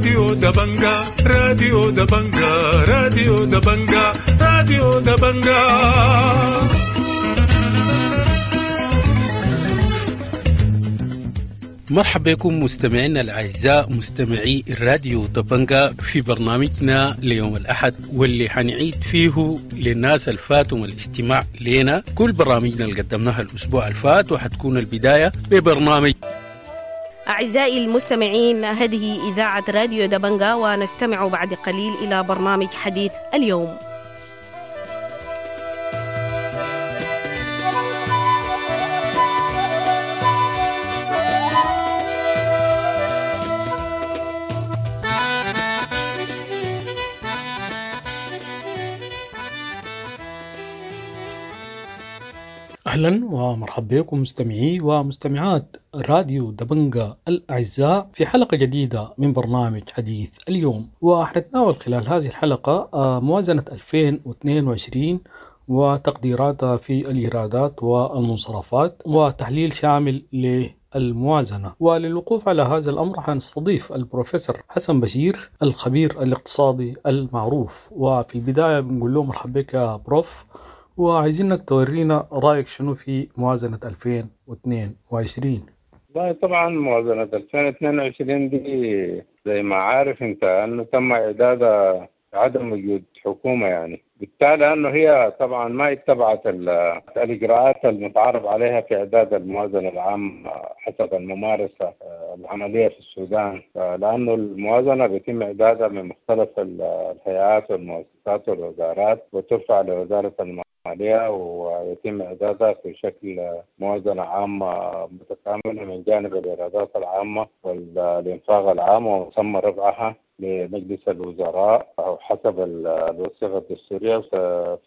راديو دبنجا، راديو دبنجا، راديو دبنجا، راديو دبنجا. مرحبا بكم مستمعينا الأعزاء مستمعي الراديو دبنجا في برنامجنا ليوم الأحد، واللي حنعيد فيه للناس الفاتهم الاستماع لنا كل برامجنا اللي قدمناها الأسبوع الفات، وحتكون البداية ببرنامج. أعزائي المستمعين، هذه إذاعة راديو دبنجا، ونستمع بعد قليل إلى برنامج حديث اليوم. أهلا ومرحبا بكم مستمعي ومستمعات راديو دبنجا الأعزاء في حلقة جديدة من برنامج حديث اليوم. وحنتناول خلال هذه الحلقة موازنة 2022 وتقديراتها في الإيرادات والمنصرفات وتحليل شامل للموازنة. وللوقوف على هذا الأمر حنستضيف البروفيسور حسن بشير الخبير الاقتصادي المعروف. وفي البداية بنقول له مرحبا بك يا بروف، وعايزينك تورينا رأيك شنو في موازنة 2022. والله طبعا موازنة 2022 دي زي ما عارف انت انه تم اعدادها عدم وجود حكومة، يعني بالتالي انه هي طبعا ما اتبعت الاجراءات المتعارف عليها في اعداد الموازنة العامة حسب الممارسة العملية في السودان، لانه الموازنة بيتم اعدادها من مختلف الهيئات والمؤسسات والوزارات وترفع لوزارة المالية ويتم إعدادها في شكل موازنة عامة متكاملة من جانب الإيرادات العامة والإنفاق العام، وتم رفعها لمجلس الوزراء أو حسب الوثيقة الدستورية.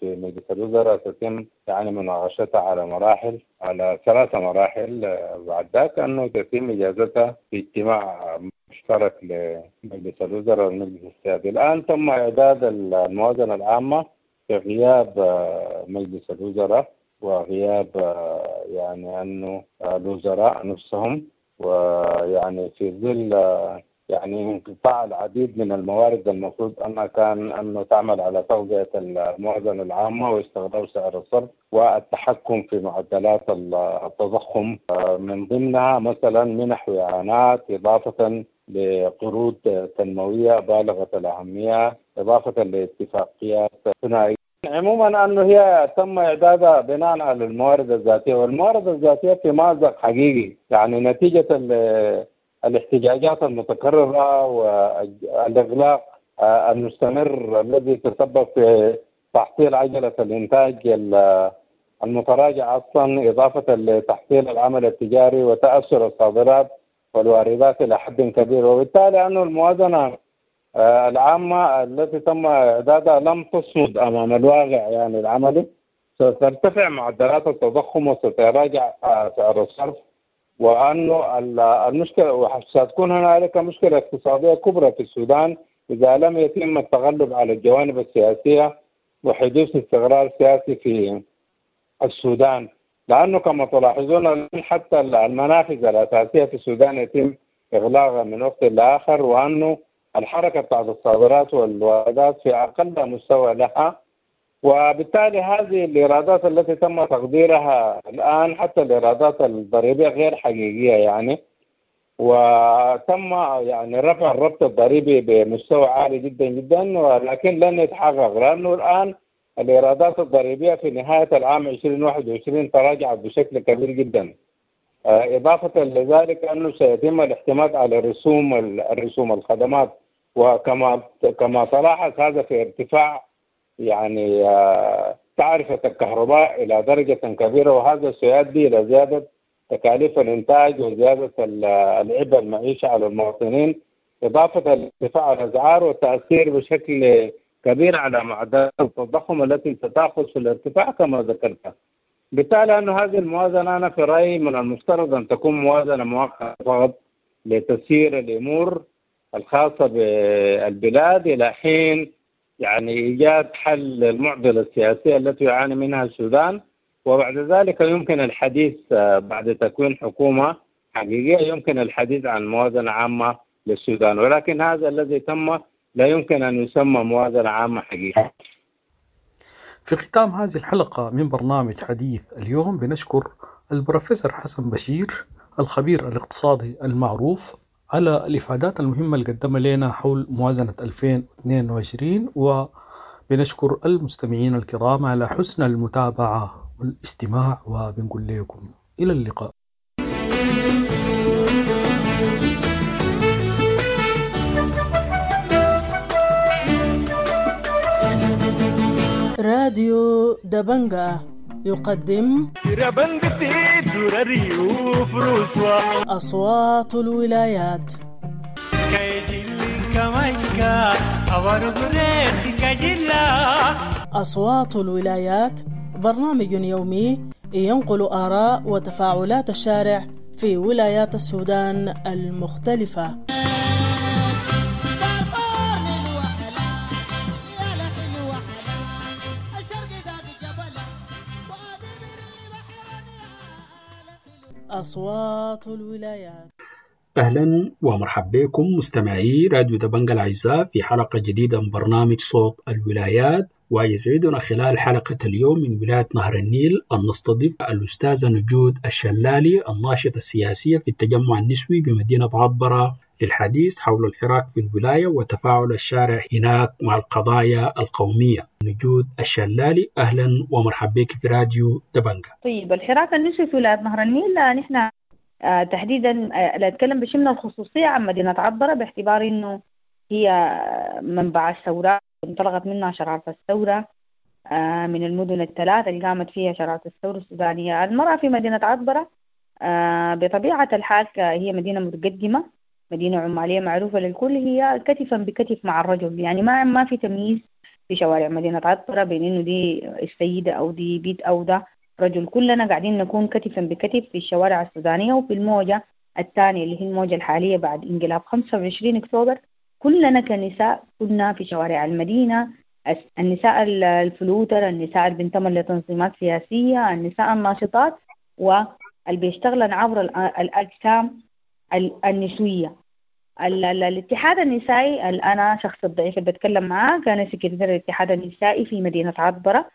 في مجلس الوزراء تتم يعني مناقشتها على مراحل، على 3 مراحل، بعد ذاك أنه تتم إجازتها في اجتماع مشترك لمجلس الوزراء والمجلس السيادي. الآن تم إعداد الموازنة العامة في غياب مجلس الوزراء وغياب يعني أنه الوزراء نفسهم، ويعني في ظل يعني انقطاع العديد من الموارد المفروض أنها كان أنه تعمل على تغذية الموازنة العامة واستغلال سعر الصرف والتحكم في معدلات التضخم، من ضمنها مثلا منح وإعانات، إضافة لقروض تنموية بالغة الأهمية، إضافة لاتفاقيات ثنائية. عموما أنه هي تم إعدادها بناء على الموارد الذاتية، والموارد الذاتية في مأزق حقيقي، يعني نتيجة الاحتجاجات المتكررة والإغلاق المستمر الذي تسبب في تحصيل عجلة الإنتاج المتراجع أصلا، إضافة لتحصيل العمل التجاري وتأثر الصادرات والواردات إلى حد كبير. وبالتالي أن الموازنة العامة التي تم إعدادها لم تصمد أمام الواقع يعني العملي، سترتفع معدلات التضخم وستراجع سعر الصرف، وأنه المشكلة ستكون هنالك مشكلة اقتصادية كبرى في السودان إذا لم يتم التغلب على الجوانب السياسية وحدوث استقرار سياسي في السودان، لأنه كما تلاحظون حتى المنافذ الأساسية في السودان يتم إغلاقها من وقت لآخر، وأنه الحركة بتاعت الصادرات والواردات في أقل مستوى لها. وبالتالي هذه الإيرادات التي تم تقديرها الآن حتى الإيرادات الضريبية غير حقيقية يعني، وتم يعني رفع الربط الضريبي بمستوى عالي جدا جدا، ولكن لن يتحقق، لأنه الآن الإيرادات الضريبية في نهاية العام 2021 تراجعت بشكل كبير جدا. إضافة لذلك أنه سيتم الاعتماد على الرسوم الخدمات، وكما تلاحظ هذا في ارتفاع يعني تعرفة الكهرباء إلى درجة كبيرة، وهذا سيؤدي إلى زيادة تكاليف الإنتاج وزيادة العبء المعيشة على المواطنين، إضافة لارتفاع الأسعار والتأثير بشكل كبير على معدلات التضخم التي ستأخذ في الارتفاع كما ذكرت. بالتالي أن هذه الموازنة أنا في رأيي من المفترض أن تكون موازنة مؤقتة فقط لتسيير الأمور الخاصة بالبلاد إلى حين يعني إيجاد حل للمعضلة السياسية التي يعاني منها السودان، وبعد ذلك يمكن الحديث بعد تكوين حكومة حقيقية يمكن الحديث عن موازنة عامة للسودان، ولكن هذا الذي تم لا يمكن أن يسمى موازنة عامة حقيقية. في ختام هذه الحلقة من برنامج حديث اليوم بنشكر البروفيسور حسن بشير الخبير الاقتصادي المعروف على الإفادات المهمة اللي قدمها لنا حول موازنة 2022، وبنشكر المستمعين الكرام على حسن المتابعة والاستماع، وبنقول لكم إلى اللقاء. راديو دبنجا يقدم أصوات الولايات. أصوات الولايات برنامج يومي ينقل آراء وتفاعلات الشارع في ولايات السودان المختلفة. أصوات الولايات. أهلا ومرحبا بكم مستمعي راديو دبنجا الأعزاء في حلقة جديدة من برنامج صوت الولايات، ويسعدنا خلال حلقة اليوم من ولاية نهر النيل أن نستضيف الأستاذة نجود الشلالي الناشطة السياسية في التجمع النسوي بمدينة عطبرة للحديث حول الحراك في الولاية وتفاعل الشارع هناك مع القضايا القومية. نجود الشلالي، أهلا ومرحبا بك في راديو دبنجا. طيب، الحراك النسوي في ولاية نهر النيل نحن تحديدا لا أتكلم بشيء من الخصوصية عن مدينة عطبرة باعتبار أنه هي منبع الثورة، انطلقت منها شرارة الثورة من المدن الثلاث اللي قامت فيها شرارة الثورة السودانية. المرأة في مدينة عطبرة بطبيعة الحال هي مدينة متقدمة، مدينة عمالية معروفة للكل، هي كتفا بكتف مع الرجل، يعني ما في تمييز في شوارع مدينة عطبرة بين إنه دي السيدة أو دي بيت أو ده رجل، كلنا قاعدين نكون كتفا بكتف في الشوارع السودانية. وفي الموجة الثانية اللي هي الموجة الحالية بعد انقلاب 25 أكتوبر كلنا كنساء كنا في شوارع المدينة، النساء الفلوتر، النساء اللي بينتموا لتنظيمات سياسية، النساء الناشطات واللي بيشتغلن عبر الأجسام النسوية. الاتحاد النسائي، أنا شخص الضعيف اللي بتكلم معاه كان سكرتير الاتحاد النسائي في مدينة عطبرة،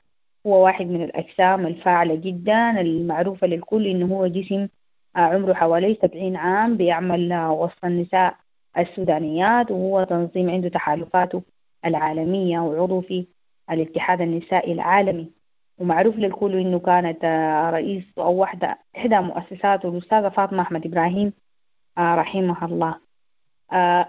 هو واحد من الأجسام الفاعلة جدا المعروفة للكل إنه هو جسم عمره حوالي 70 عام، بيعمل وسط النساء السودانيات، وهو تنظيم عنده تحالفاته العالمية وعضو في الاتحاد النسائي العالمي، ومعروف للكل إنه كانت رئيس أو واحدة إحدى مؤسساته الأستاذة فاطمة أحمد إبراهيم رحمها الله.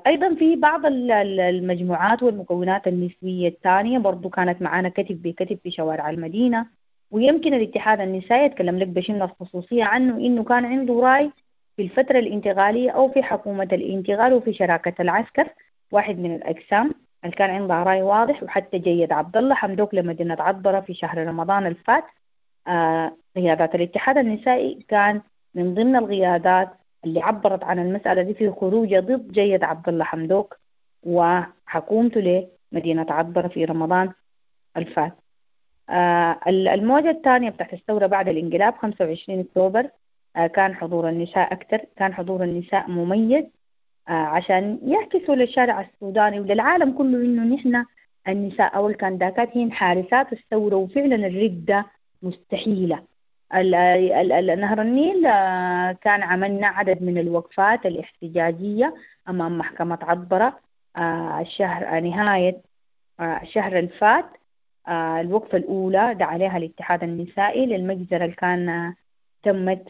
أيضا في بعض المجموعات والمكونات النسوية الثانية برضو كانت معانا كتف بكتف في شوارع المدينة. ويمكن الاتحاد النسائي يتكلم لك بشيء من الخصوصية عنه إنه كان عنده رأي في الفترة الانتقالية أو في حكومة الانتقال وفي شراكة العسكر، واحد من الأجسام اللي كان عندها رأي واضح. وحتى جيد عبد الله حمدوك لمدينة عطبرة في شهر رمضان الفات، قيادات الاتحاد النسائي كان من ضمن القيادات اللي عبرت عن المسألة دي في خروجه ضد جيد عبد الله حمدوك وحكومته لمدينة عطبرة في رمضان الفات. الموجة الثانية بتاعت الثورة بعد الانقلاب 25 أكتوبر كان حضور النساء أكثر، كان حضور النساء مميز عشان يعكسوا للشارع السوداني وللعالم كله إنه نحن النساء أو الكانداكات هي حارسات الثورة، وفعلا الردة مستحيلة. نهر النيل كان عملنا عدد من الوقفات الاحتجاجية أمام محكمة عطبرة الشهر نهاية الشهر الفات. الوقفة الأولى دعا عليها الاتحاد النسائي للمجزرة اللي كان تمت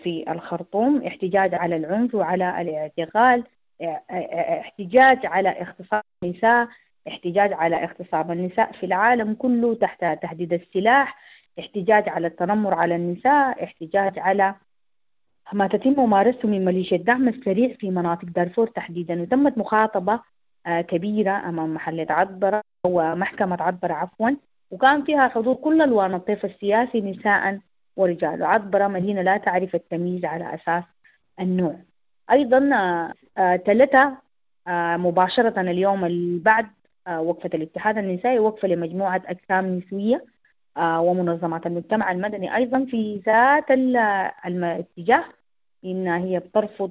في الخرطوم، احتجاج على العنف وعلى الاعتقال، احتجاج على اغتصاب النساء، احتجاج على اغتصاب النساء في العالم كله تحت تهديد السلاح، احتجاج على التنمر على النساء، احتجاج على ما تتم ممارسته من ميليشيا الدعم السريع في مناطق دارفور تحديدا. وتمت مخاطبة كبيرة أمام محلة عطبرة ومحكمة عطبرة عفوا، وكان فيها حضور كل ألوان الطيف السياسي نساء ورجال. عطبرة مدينة لا تعرف التمييز على أساس النوع. أيضا ثلاثة مباشرة اليوم اللي بعد وقفة الاتحاد النسائي وقفة لمجموعة أجسام نسوية ومنظمات المجتمع المدني أيضا في ذات الاتجاه، إن هي بترفض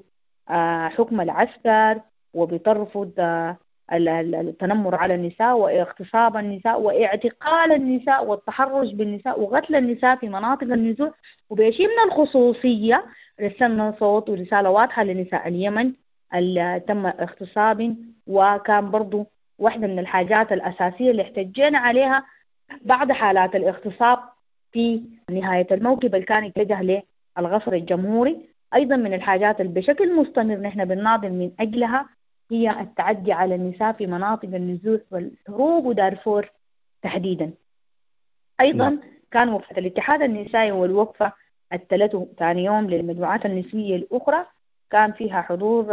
حكم العسكر وبترفض التنمر على النساء واغتصاب النساء واعتقال النساء والتحرش بالنساء وقتل النساء في مناطق النزوح. وبشيء من الخصوصية رسلنا صوت ورسالة واضحة لنساء اليمن اللي تم اغتصابهم، وكان برضو واحدة من الحاجات الأساسية اللي احتجينا عليها بعد حالات الاغتصاب في نهاية الموكب اللي كان اتجه للقصر الجمهوري. أيضا من الحاجات اللي بشكل مستمر نحن بنناضل من أجلها هي التعدي على النساء في مناطق النزوح والحروب ودارفور تحديدا. أيضا كان وقفة الاتحاد النسائي والوقفة الثلاث ثاني يوم للمجموعات النسوية الأخرى كان فيها حضور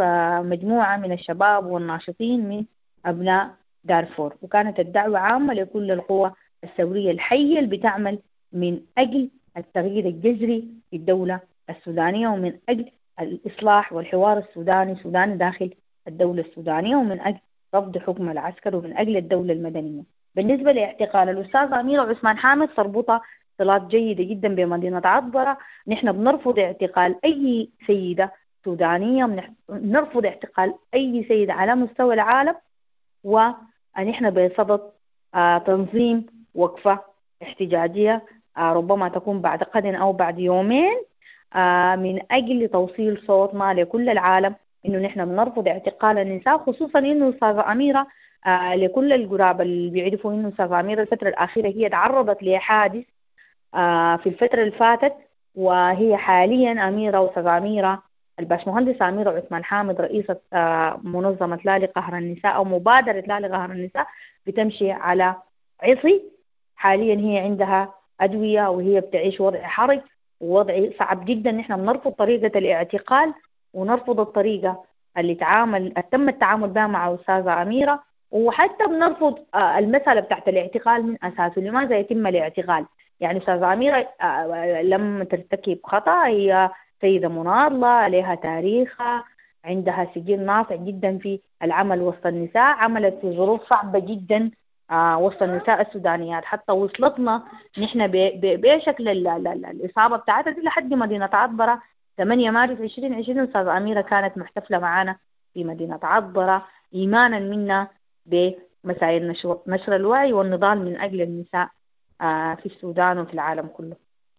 مجموعة من الشباب والناشطين من أبناء دارفور، وكانت الدعوة عامة لكل القوى الثورية الحية اللي بتعمل من أجل التغيير الجذري في الدولة السودانية ومن أجل الإصلاح والحوار السوداني سوداني داخل الدولة السودانية، ومن أجل رفض حكم العسكر ومن أجل الدولة المدنية. بالنسبة لاعتقال الأستاذة أميرة عثمان حامد تربطها صلات جيدة جدا بمدينة عطبرة. نحن بنرفض اعتقال أي سيدة سودانية، بنرفض اعتقال أي سيدة على مستوى العالم، ونحن بصدد تنظيم وقفة احتجاجية ربما تكون بعد غد أو بعد يومين من أجل توصيل صوتنا لكل العالم إنه نحن بنرفض اعتقال النساء، خصوصا إنه أستاذة أميرة لكل القراب اللي بيعرفوا إنه أستاذة أميرة الفترة الأخيرة هي تعرضت لحادث في الفترة اللي فاتت، وهي حاليا أميرة وأستاذة أميرة الباشمهندسة أميرة عثمان حامد رئيسة منظمة لا لقهر النساء أو مبادرة لا لقهر النساء بتمشي على عصي. حاليا هي عندها أدوية وهي بتعيش وضع حرج ووضع صعب جدا. نحن بنرفض طريقة الاعتقال ونرفض الطريقة اللي تم التعامل بها مع أستاذة أميرة، وحتى بنرفض المسألة بتاعت الاعتقال من أساسه. لماذا يتم الاعتقال؟ يعني أستاذة أميرة لم ترتكب خطأ، هي سيدة مناضلة لها تاريخها، عندها سجل ناصع جدا في العمل وسط النساء، عملت في ظروف صعبة جدا وسط النساء السودانيات، حتى وصلتنا نحن بشكل الإصابة بتاعتها دي لحد مدينة عطبرة 8 مارس 2020. أستاذة أميرة كانت محتفلة معانا في مدينة عطبرة إيمانا منا بمسائل نشر الوعي والنضال من أجل النساء في السودان وفي العالم كله.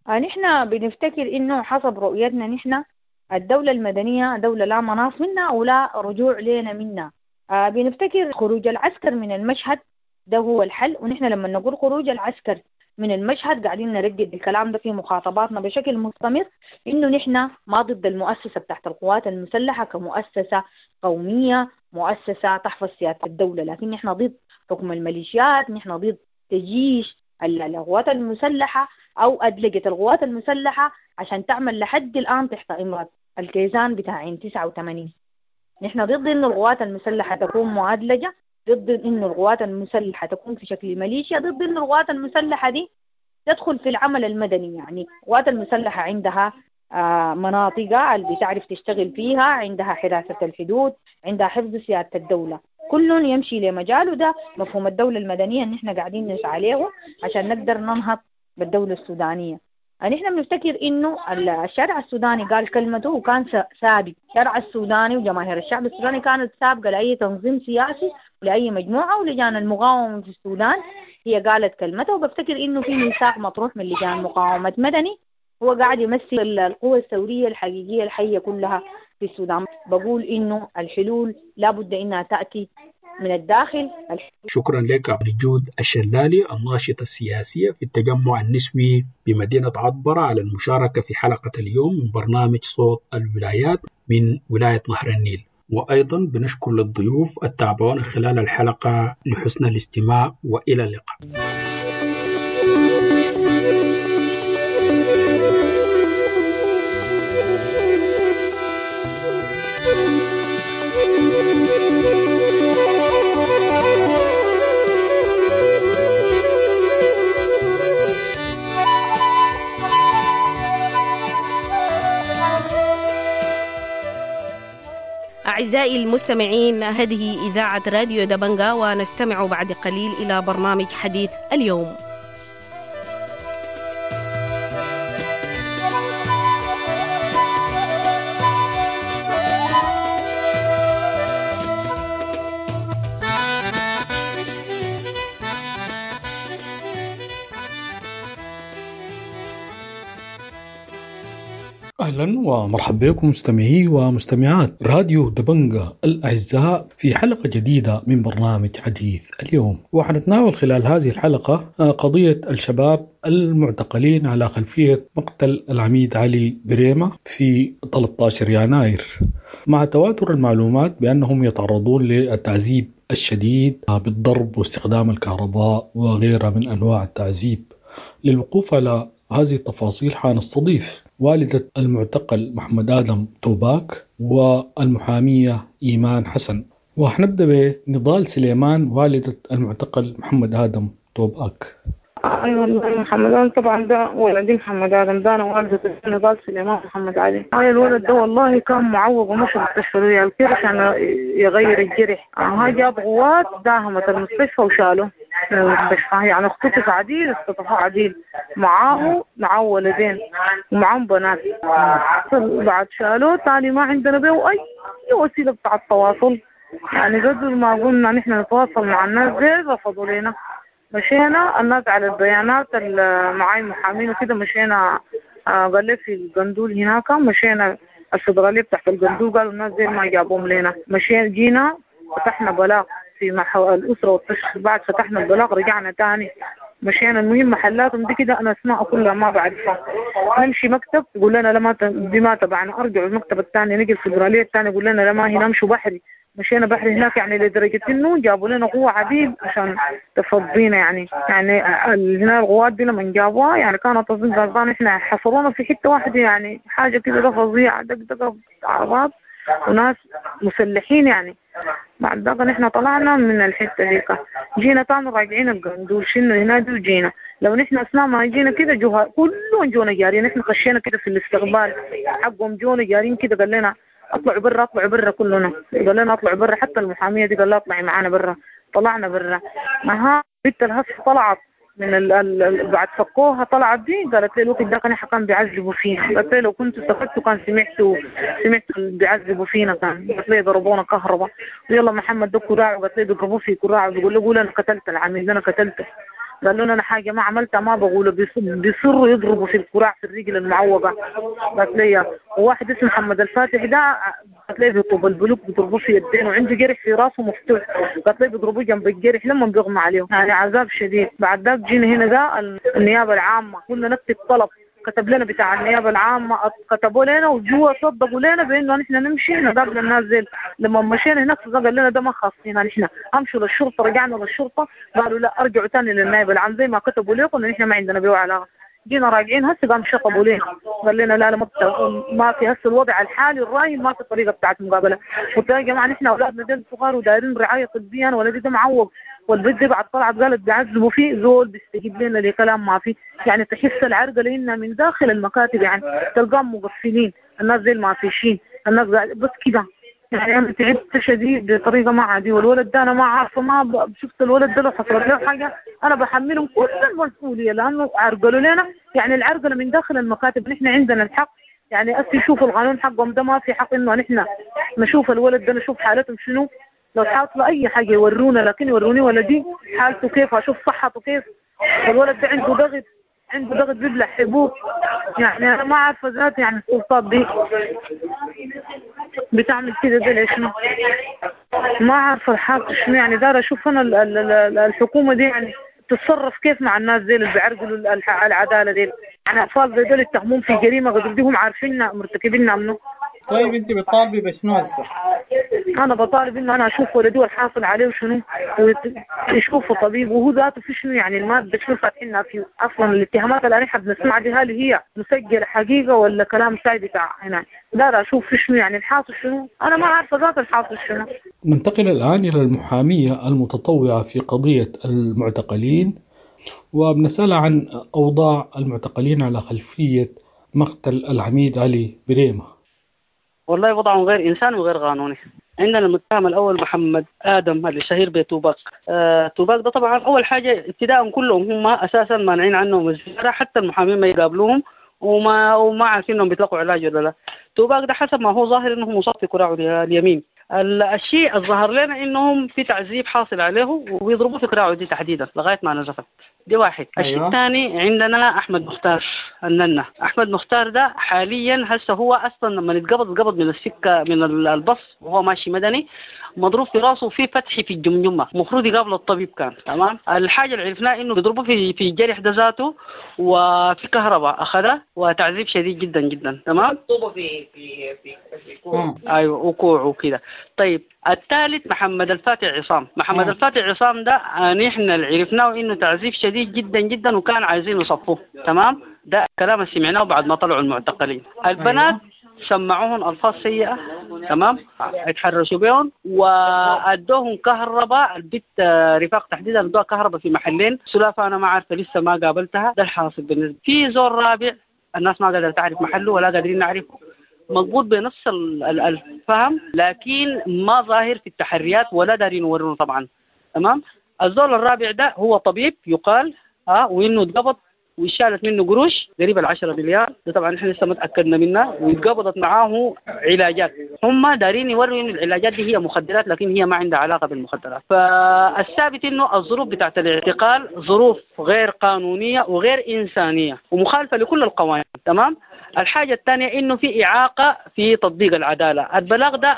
نحن بنفتكر إنه حسب رؤيتنا نحن الدولة المدنية دولة لا مناص منا ولا رجوع لنا منا. بنفتكر خروج العسكر من المشهد ده هو الحل، ونحن لما نقول خروج العسكر من المشهد قاعدين نردد الكلام ده في مخاطباتنا بشكل مستمر، إنه نحن ما ضد المؤسسة بتاعت القوات المسلحة كمؤسسة قومية، مؤسسة تحفظ سيادة الدولة، لكن نحن ضد حكم الميليشيات، نحن ضد تجيش القوات المسلحة أو أدلجة القوات المسلحة عشان تعمل لحد الآن تحت إمرة الكيزان بتاعين 89. نحن ضد إنه القوات المسلحة تكون معادلجة، ضد إنه القوات المسلحة تكون في شكل ميليشيا، ضد إنه القوات المسلحة دي تدخل في العمل المدني. يعني القوات المسلحة عندها مناطق اللي بتعرف تشتغل فيها، عندها حراسة الحدود، عندها حفظ سيادة الدولة، كل يمشي لمجاله. ده مفهوم الدولة المدنية اللي نحن قاعدين نسعى عليه عشان نقدر ننهض بالدولة السودانية. نحن بنفتكر إنه الشارع السوداني قال كلمته وكان سابق. الشارع السوداني وجماهير الشعب السوداني كانت سابقة لأي تنظيم سياسي ولأي مجموعة، ولجان المقاومة في السودان هي قالت كلمته. وبفتكر إنه في ميثاق مطروح من لجان مقاومة مدني هو قاعد يمثل القوة الثورية الحقيقية الحية كلها في السودان. بقول إنه الحلول لابد إنها تأتي من الداخل. شكرا لك نجود الشلالي الناشطة السياسية في التجمع النسوي بمدينة عطبرة على المشاركة في حلقة اليوم من برنامج صوت الولايات من ولاية نهر النيل. وأيضا بنشكر للضيوف التابعون خلال الحلقة لحسن الاستماع، وإلى اللقاء. أعزائي المستمعين، هذه إذاعة راديو دبنجا، ونستمع بعد قليل إلى برنامج حديث اليوم. أهلا ومرحبا بكم مستمعي ومستمعات راديو دبنجة الأعزاء في حلقة جديدة من برنامج حديث اليوم. وحنتناول خلال هذه الحلقة قضية الشباب المعتقلين على خلفية مقتل العميد علي بريمة في 13 يناير، مع تواتر المعلومات بأنهم يتعرضون للتعذيب الشديد بالضرب واستخدام الكهرباء وغيرها من أنواع التعذيب. للوقوف على هذه التفاصيل حنستضيف والدة المعتقل محمد آدم توباك والمحامية إيمان حسن. وحنبدأ بنضال سليمان والدة المعتقل محمد آدم توباك. أي والله محمد آدم طبعا ده ولدي محمد آدم ده، أنا والدة نضال سليمان محمد علي. هاي الولد ده والله كان معوق ومشى المستشفى ريال كده عشان يغير الجرح. هاي جاب غوات داهمت المستشفى وشاله من المستشفى، يعني اختطف عديل، اختطفوا عديل، معاه ولدين ومعاهم بنات. بعد شالوه تاني ما عندنا بيه أي وسيلة بتاع التواصل، يعني قدر ما قلنا نحن نتواصل مع الناس دي رفضوا لنا. مشينا الناس على البيانات معاي محامين وكده، مشينا قال لي في القندول هناك، مشينا الفدرالية بتاعت القندول قالوا الناس دي ما جابوهم لنا. مشينا جينا فتحنا بلاغ في الأسرة والتشخيص، بعد فتحنا البلاغ رجعنا تاني مشينا. المهم محلاتهم دي كده أنا أسماء كلها ما بعرفها، نمشي مكتب يقول لنا لا ما دي ما تبعنا، أرجعوا المكتب الثاني، نجي الفدرالية الثانية يقول لنا لا ما هنا، نمشوا بحري. مشينا بحري هناك، يعني لدرجة إنه جابوا لنا قوة عديد عشان تفضينا، يعني هنا القوات دي لما جابوها يعني كانت أظن غلطان، إحنا حصرونا في حتة واحدة، يعني حاجة كده ده فظيعة، دقدقة عربات وناس مسلحين يعني. بعد ذاك نحن طلعنا من الحتة ديك، جينا تاني راجعين القندول، شلنا هنا دي وجينا. لو نحن أثناء ما جينا كده جوها كلهم جونا جارين، نحن خشينا كده في الاستقبال حقهم، جونا جارين كده قال لنا اطلعوا برا، اطلعوا برا كلنا، قال لنا اطلعوا برا، حتى المحامية دي قال لها اطلعي معانا برا، طلعنا برا. ما بنت الهس طلعت من بعد فكوها طلعت دي، قالت لي الوقت ده كان كان بيعذبوا فينا، قالت لي لو كنتوا سكتوا كان سمعتوا بيعذبوا فينا، كان قالت لي ضربونا كهرباء، ويلا محمد ده كراعه، قالت لي بيضربوه في كراعه، بيقول له قول انا قتلت العميل انا قتلته، قال لهم انا حاجه ما عملتها ما بقوله، بيصروا يضربوا في الكراع في الرجل المعوقه. قالت لي وواحد اسمه محمد الفاتح ده، قالت لي بيطوب البلوك بيضربوه في يدينه وعنده جرح في راسه مفتوح، قالت لي بيضربوه جنب الجرح لما بيغمى عليه، يعني عذاب شديد. بعد ذاك جينا هنا ده النيابه العامه، قلنا نكتب طلب، كتب لنا بتاع النيابة العامة، كتبوا لنا وجوا صدقوا لنا بأنه نحن نمشي نقابل الناس زي. لما مشينا هناك قال لنا ده ما خاصين نحن، امشوا للشرطة. رجعنا للشرطة قالوا لا ارجعوا تاني للنائب العام زي ما كتبوا لكم نحن ما عندنا بيه علاقة. جينا راجعين هسه قام شطبوا لنا، قال لنا لا لا ما في هسه الوضع الحالي الراهن ما في طريقة بتاعت مقابلة. قلت يا جماعة نحن أولادنا دول صغار ودايرين رعاية طبية، أنا ولدي ده معوق، والبنت دي بعد طلعت قالت بيعذبوا فيه زول بيستجيب لنا لكلام ما فيه، يعني تحس العرقة لنا من داخل المكاتب، يعني تلقاهم مقفلين الناس زي المعفشين، الناس بس كده. يعني أنا تعبت شديد بطريقة ما عادية، والولد ده أنا ما عارفة، ما شفت الولد ده لو حصلت له حاجة أنا بحملهم كل المسؤولية، لأنه عرقلوا لنا، يعني العرقلة من داخل المكاتب. نحن عندنا الحق، يعني أسي يشوفوا القانون حقهم ده ما في حق إنه نحن نشوف الولد ده نشوف حالتهم شنو، لو حاصلة أي حاجة يورونا، لكن يوروني ولدي حالته كيف، أشوف صحته كيف. الولد ده عنده ضغط، عنده ضغط بيبلع حبوب، يعني أنا ما عارفة ذاتي يعني السلطات دي بتعمل كده ده ليش، ما عارفة الحاصل شنو. يعني دار أشوف أنا الحكومة دي يعني تتصرف كيف مع الناس زي اللي بيعرقلوا العدالة دي، يعني أطفال زي دول يتهمون في جريمة غدر دي هم عارفيننا مرتكبيننا منه. طيب انت بتطالبي بشنو هسه؟ انا بطالب انه انا اشوف ولدي والحاصل عليه وشنو، ويشوفه طبيب وهو ذاته في شنو، يعني الماده شنو فاتحينها فيه اصلا. الاتهامات اللي احنا بنسمعها دي هل هي مسجله حقيقه ولا كلام ساي بتاع هنا؟ لا اشوف في شنو، يعني الحاصل شنو، انا ما عارفه ذات الحاصل شنو. ننتقل الان الى المحاميه المتطوعه في قضيه المعتقلين، وبنسألها عن اوضاع المعتقلين على خلفيه مقتل العميد علي بريمه. والله وضعهم غير إنسان وغير قانوني. عندنا المتهم الأول محمد آدم اللي شهير بتوباك. توباك ده طبعا أول حاجة ابتداء كلهم هم أساسا مانعين عنهم الزيارة، حتى المحامين ما يقابلوهم وما عارفين إنهم بيتلقوا علاج ولا لا. توباك ده حسب ما هو ظاهر إنه مصاب في كراعه اليمين. الشيء الظاهر لنا إنهم في تعذيب حاصل عليه وبيضربوه في كراعه دي تحديدا لغاية ما نزفت. دي واحد. الشيء الثاني عندنا احمد مختار الننة. احمد مختار ده حاليا هسه هو اصلا لما اتقبض من السكة من البص وهو ماشي مدني، مضروب في راسه وفي فتح في الجمجمة، المفروض يقابل الطبيب كان. تمام. الحاجة اللي عرفناها انه بيضربوه في الجرح ده ذاته، وفي كهرباء اخذها وتعذيب شديد جدا جدا. تمام. في في في في كوع. ايوه وكوع وكده. طيب الثالث محمد الفاتح عصام. محمد الفاتح عصام ده نحن اللي عرفناه انه تعذيب شديد جدا جدا، وكان عايزين يصفوه. تمام. ده الكلام اللي سمعناه بعد ما طلعوا المعتقلين. البنات سمعوهم الفاظ سيئه، تمام، اتحرشوا بهم وادوهم كهرباء. البت رفاق تحديدا ادوها كهرباء في محلين. سلافه انا ما عارفه لسه ما قابلتها. ده الحاصل بالنسبة. في زور رابع الناس ما قادرة تعرف محله ولا قادرين نعرفه، مضبوط بنفس الفهم، لكن ما ظاهر في التحريات ولا دارين يورونا طبعا. تمام. الزول الرابع ده هو طبيب يقال وانه اتقبض وشالت منه قروش قريب 10 مليار، ده طبعا احنا لسه ما تاكدنا منها، واتقبضت معاه علاجات. هم دارين يوروا انه العلاجات دي هي مخدرات، لكن هي ما عندها علاقة بالمخدرات. فالثابت انه الظروف بتاعت الاعتقال ظروف غير قانونية وغير انسانيه ومخالفه لكل القوانين. تمام. الحاجة الثانية انه في اعاقه في تطبيق العدالة. البلاغ ده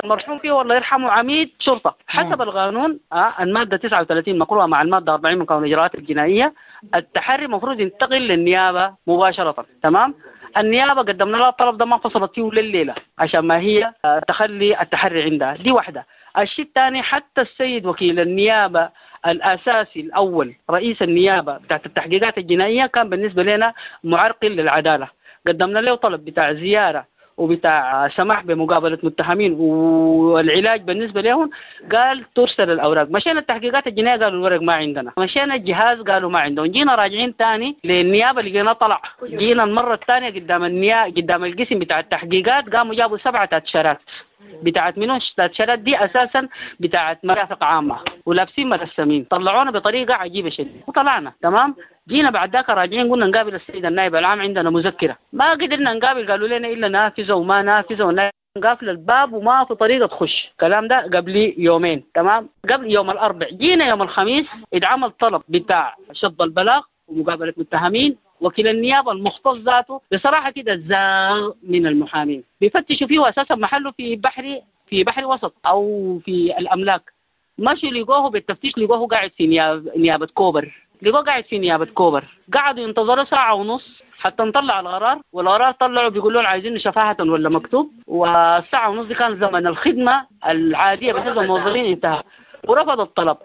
المرحوم فيه والله يرحمه عميد شرطه حسب القانون، المادة 39 مقروءه مع المادة 40 من قانون الاجراءات الجنائية، التحري المفروض ينتقل للنيابه مباشرة. تمام. النيابة قدمنا لها الطلب ده ما فصلت فيه لليلة عشان ما هي تخلي التحري عندها. دي واحدة. الشيء الثاني حتى السيد وكيل النيابة الاساسي الاول رئيس النيابة بتاعت التحقيقات الجنائية كان بالنسبة لنا معرقل للعدالة. قدمنا له طلب بتاع زيارة وبتاع سماح بمقابله متهمين والعلاج بالنسبة لهم، قال ترسل الاوراق. مشينا التحقيقات الجنائية قالوا الورق ما عندنا، مشينا الجهاز قالوا ما عندهم، جينا راجعين ثاني للنيابه لقينا طلع. جينا المرة الثانية قدام النيابة قدام القسم بتاع التحقيقات قاموا جابوا 7 تاتشرات بتاعت منو؟ التاتشرات دي اساسا بتاعت مرافق عامة ولابسين مرسمين، طلعونا بطريقة عجيبة شديدة وطلعنا. تمام. جينا بعد ذاك راجعين قلنا نقابل السيد النائب العام عندنا مذكره، ما قدرنا نقابل، قالوا لنا الا نافذة وما نافذة ونا قافل الباب وما في طريقه تخش. الكلام ده قبل يومين. تمام. قبل يوم الاربع جينا يوم الخميس اتعمل طلب بتاع شطب البلاغ ومقابله متهمين. وكيل النيابة المختص ذاته بصراحة كده زاغ من المحامين، بيفتشوا فيه اساسا محله في بحري، في بحري وسط او في الاملاك. مشوا لقوه بالتفتيش، لقوه قاعد في نيابة كوبر، لقوه قاعد في نيابة كوبر. قعدوا ينتظروا 1.5 ساعة حتى نطلع القرار، والقرار طلعوا بيقولوا لهم عايزين شفاهه ولا مكتوب. والساعة ونص دي كان زمن الخدمة العادية بالنسبة للموظفين انتهى، ورفض الطلب.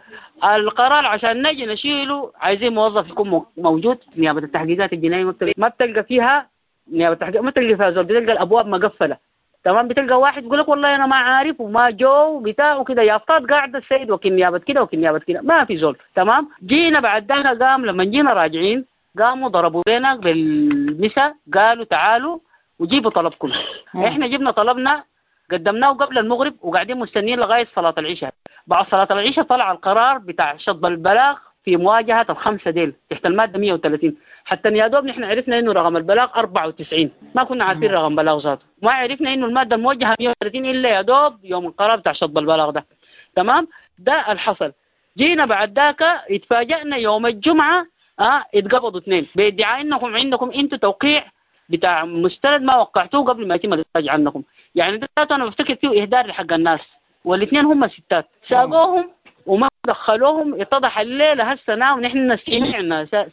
القرار عشان نجي نشيله عايزين موظف يكون موجود. نيابة التحقيقات الجنائية ما بتلقى فيها نيابة التحقيق، ما بتلقى فيها زول، بتلقى الابواب مقفلة. تمام. بتلقى واحد يقول لك والله انا ما عارف وما جو بتاع وكده، يافطات قاعدة السيد وكيل نيابة كده وكيل نيابة كده، ما في زول. تمام. جينا بعد ذاك قام لما جينا راجعين قاموا ضربوا لنا بالمسا، قالوا تعالوا وجيبوا طلبكم. احنا جبنا طلبنا قدمناه قبل المغرب وقاعدين مستنيين لغاية صلاة العشاء. بعد صلاة العشاء طلع القرار بتاع شطب البلاغ في مواجهة ال5 ديل تحت المادة 130. حتى يا دوب نحن عرفنا انه رقم البلاغ 94، ما كنا عارفين رقم بلاغ ذاته، ما عرفنا انه المادة الموجهة 130 الا يا دوب يوم القرار بتاع شطب البلاغ ده. تمام. ده الحصل. جينا بعد ذاك اتفاجئنا يوم الجمعة اتقبضوا 2 بادعاء انكم عندكم انتم توقيع بتاع مستند ما وقعتوه قبل ما يتم الافراج عنكم. يعني ده انا بفتكر فيه اهدار لحق الناس، والاثنين هم ستات ساقوهم وما دخلوهم. اتضح الليلة هسه ونحن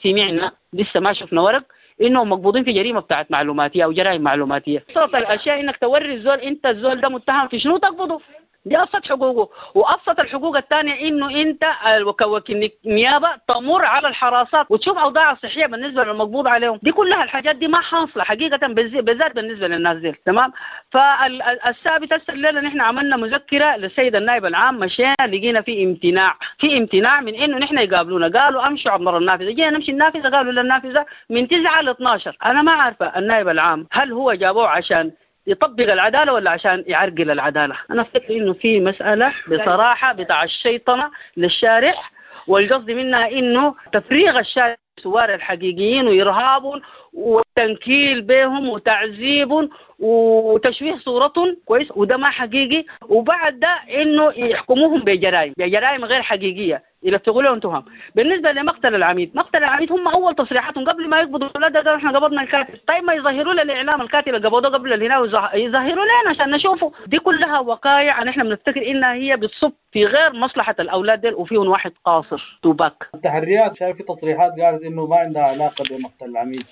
سمعنا لسه ما شفنا ورق انهم مقبوضين في جريمة بتاعت معلوماتيه او جرائم معلوماتيه. ابسط الاشياء انك توري الزول انت الزول ده متهم في شنو تقبضه، دي ابسط حقوقه. وابسط الحقوق الثانية انه انت كوكيل نيابة تمر على الحراسات وتشوف اوضاع الصحية بالنسبة للمقبوض عليهم. دي كلها الحاجات دي ما حاصله حقيقة بالذات بالنسبة للناس دي. تمام. فالثابت هسه الليلة نحن عملنا مذكره للسيد النائب العام، مشينا لقينا في امتناع، في امتناع من انه نحن يقابلونا. قالوا امشوا عبر النافذة، جينا نمشي النافذة قالوا للنافذه من 9 ل 12. انا ما عارفه النائب العام هل هو جابوه عشان يطبق العدالة ولا عشان يعرقل العدالة. أنا أفتكر إنه في مسألة بصراحة بتاع الشيطنة للشارع، والقصد منها إنه تفريغ الشارع الثوار الحقيقيين وإرهابهم وتنكيل بهم وتعذيبهم وتشويه صورتهم، كويس، وده ما حقيقي. وبعد ده إنه يحكموهم بجرائم غير حقيقية، يلفقوا لهم تهم. بالنسبة لمقتل العميد، مقتل العميد هم اول تصريحاتهم قبل ما يقبضوا الاولاد قالوا احنا قبضنا الكاتل. طيب ما يظهروا للاعلام الكاتل اللي قبضوه قبل الهنا، يظهروا لنا عشان نشوفه. دي كلها وقائع نحن بنفتكر انها هي بتصب في غير مصلحة الاولاد ديل، وفيهم واحد قاصر توباك. التحريات شايف في تصريحات قالت انه ما عندها علاقة بمقتل العميد.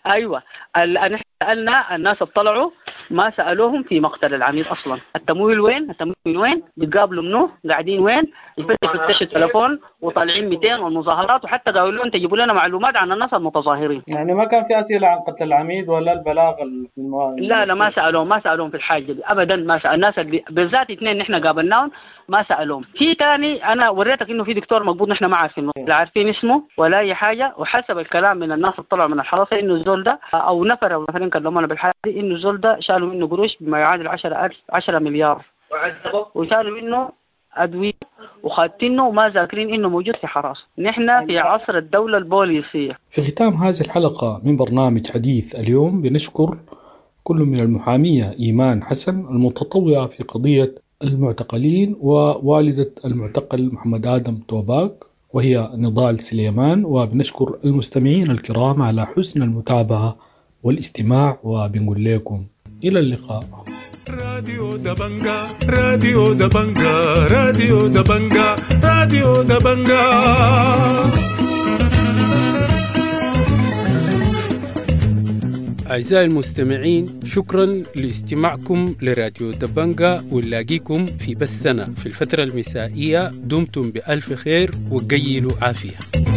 ايوه، نحن سالنا الناس اطلعوا ما سالوهم في مقتل العميد اصلا. التمويل وين؟ التمويل وين؟ بيتقابلوا منه؟ قاعدين وين؟ يفتشوا التليفون وطالعين 200 والمظاهرات، وحتى قالوا لهم تجيبوا لنا معلومات عن الناس المتظاهرين. يعني ما كان في اسئلة عن قتل العميد ولا البلاغ؟ لا لا، ما سالوهم، ما سالوهم في الحاجة دي ابدا. ما سال الناس اللي بالذات اثنين نحن قابلناهم ما سالوهم. في ثاني انا وريتك انه في دكتور مقبوض نحن ما عارفينه، لا عارفين اسمه ولا اي حاجة، وحسب الكلام من الناس اللي طلعوا من الحراسة انه الزول ده او نفر او نفرين كلمونا بالحاجة دي انه الزول ده شالوا منه قروش بما يعادل 10 مليار، وشالوا منه أدوية وخاتينه وما ذاكرين إنه موجود في حراسة. نحن في عصر الدولة البوليسية. في ختام هذه الحلقة من برنامج حديث اليوم بنشكر كل من المحامية إيمان حسن المتطوعة في قضية المعتقلين، ووالدة المعتقل محمد آدم توباك وهي نضال سليمان، وبنشكر المستمعين الكرام على حسن المتابعة والاستماع، وبنقول لكم إلى اللقاء. راديو دبنجا، راديو دبنجا، راديو دبنجا، راديو دبنجا. أعزائي المستمعين، شكرا لاستماعكم لراديو دبنجا، ونلاقيكم في بثنا في الفترة المسائية. دمتم بألف خير وقيلوا عافية.